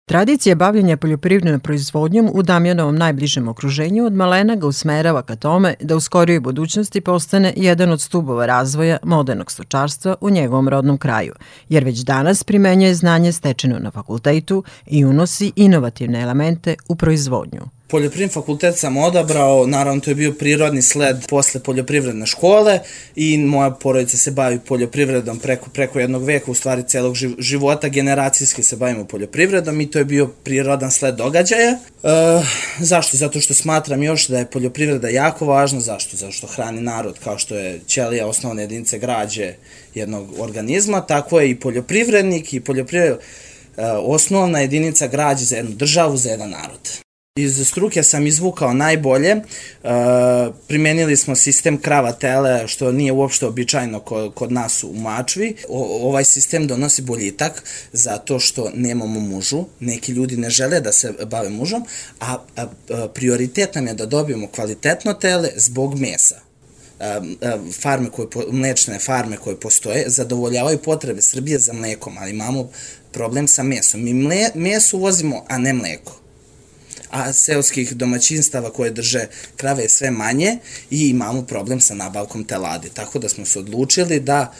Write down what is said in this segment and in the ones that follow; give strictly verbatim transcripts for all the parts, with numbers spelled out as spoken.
Tradicija bavljenja poljoprivrednom proizvodnjom u Damjanovom najbližem okruženju od malena ga usmerava ka tome da u skorijoj budućnosti postane jedan od stubova razvoja modernog stočarstva u njegovom rodnom kraju, jer već danas primenjuje znanje stečeno na fakultetu i unosi inovativne elemente u proizvodnju. Poljoprivredni fakultet sam odabrao, naravno to je bio prirodni sled posle poljoprivredne škole i moja porodica se bavi poljoprivredom preko, preko jednog veka, u stvari celog života, generacijski se bavimo poljoprivredom i to je bio prirodan sled događaja. E, zašto? Zato što smatram još da je poljoprivreda jako važna. Zašto? Zato što hrani narod, kao što je ćelija osnovne jedinice građe jednog organizma, tako je i poljoprivrednik i poljoprivred, e, osnovna jedinica građe za jednu državu, za jedan narod. Iz struke sam izvukao najbolje, e, primenili smo sistem krava-tele, što nije uopšte običajno kod, kod nas u Mačvi. O, ovaj sistem donosi boljitak zato što nemamo mužu, neki ljudi ne žele da se bave mužom, a, a, a prioritet nam je da dobijemo kvalitetno tele zbog mesa. Farme koje, mlečne farme koje postoje zadovoljavaju potrebe Srbije za mlekom, ali imamo problem sa mesom. Mi mle, meso uvozimo, a ne mleko. A seoskih domaćinstava koje drže krave je sve manje i imamo problem sa nabavkom teladi. Tako da smo se odlučili da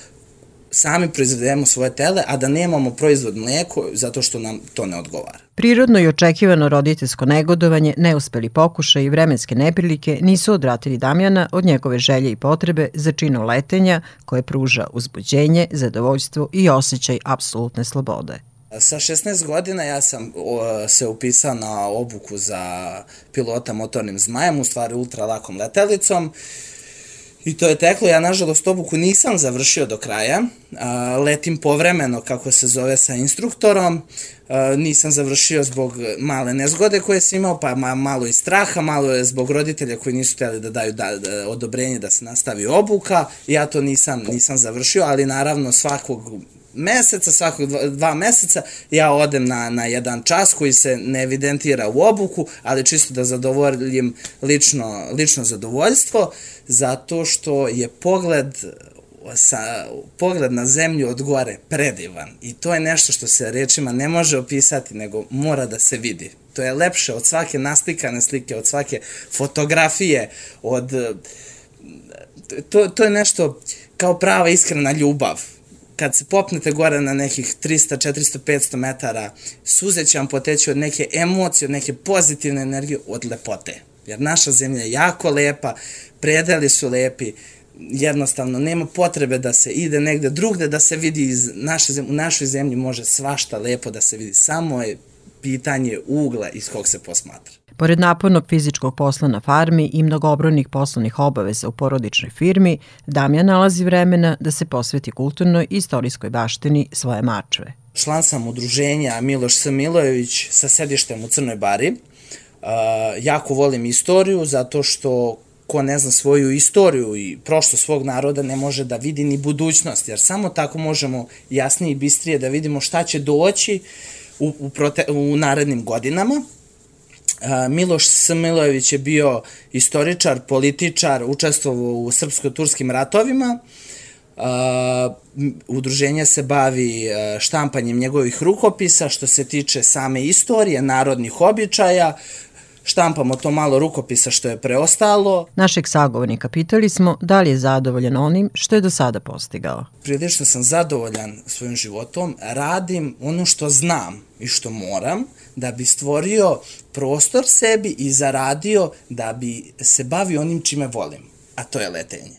sami proizvedemo svoje tele, a da nemamo proizvod mlijeko zato što nam to ne odgovara. Prirodno i očekivano roditeljsko negodovanje, neuspeli pokušaj i vremenske neprilike nisu odvratili Damjana od njegove želje i potrebe za činom letenja koje pruža uzbuđenje, zadovoljstvo i osjećaj apsolutne slobode. Sa šesnaest godina ja sam o, se upisao na obuku za pilota motornim zmajem, u stvari ultralakom letelicom. I to je teklo, ja nažalost obuku nisam završio do kraja, a, letim povremeno, kako se zove, sa instruktorom, a, nisam završio zbog male nezgode koje sam imao, pa ma, malo i straha, malo je zbog roditelja koji nisu htjeli da daju da, da, odobrenje da se nastavi obuka, ja to nisam, nisam završio, ali naravno svakog meseca, svakog dva, dva meseca ja odem na, na jedan čas koji se ne evidentira u obuku, ali čisto da zadovoljim lično, lično zadovoljstvo, zato što je pogled, sa, pogled na zemlju od gore predivan i to je nešto što se rečima ne može opisati, nego mora da se vidi. To je lepše od svake naslikane slike, od svake fotografije, od... To, to je nešto kao prava iskrena ljubav. Kad se popnete gore na nekih trista, četiristo, petsto metara, suze će vam poteći od neke emocije, od neke pozitivne energije, od lepote. Jer naša zemlja je jako lepa, predeli su lepi, jednostavno nema potrebe da se ide negde drugde da se vidi iz naše zemlje. U našoj zemlji može svašta lepo da se vidi, samo je pitanje ugla iz kog se posmatra. Pored napornog fizičkog posla na farmi i mnogobrojnih poslovnih obaveza u porodičnoj firmi, Damjan nalazi vremena da se posveti kulturnoj i istorijskoj baštini svoje Mačve. Član sam udruženja Miloš S. Milojević sa sedištem u Crnoj Bari. Uh, jako volim istoriju zato što ko ne zna svoju istoriju i prošlost svog naroda ne može da vidi ni budućnost, jer samo tako možemo jasnije i bistrije da vidimo šta će doći u, u, prote, u narednim godinama. Miloš S. Milojević je bio istoričar, političar, učestvovao u srpsko-turskim ratovima. Udruženje se bavi štampanjem njegovih rukopisa što se tiče same istorije, narodnih običaja. Štampamo to malo rukopisa što je preostalo. Našeg sagovornika pitali smo da li je zadovoljan onim što je do sada postigao. Prilično sam zadovoljan svojim životom, radim ono što znam i što moram da bi stvorio prostor sebi i zaradio da bi se bavio onim čime volim, a to je letenje.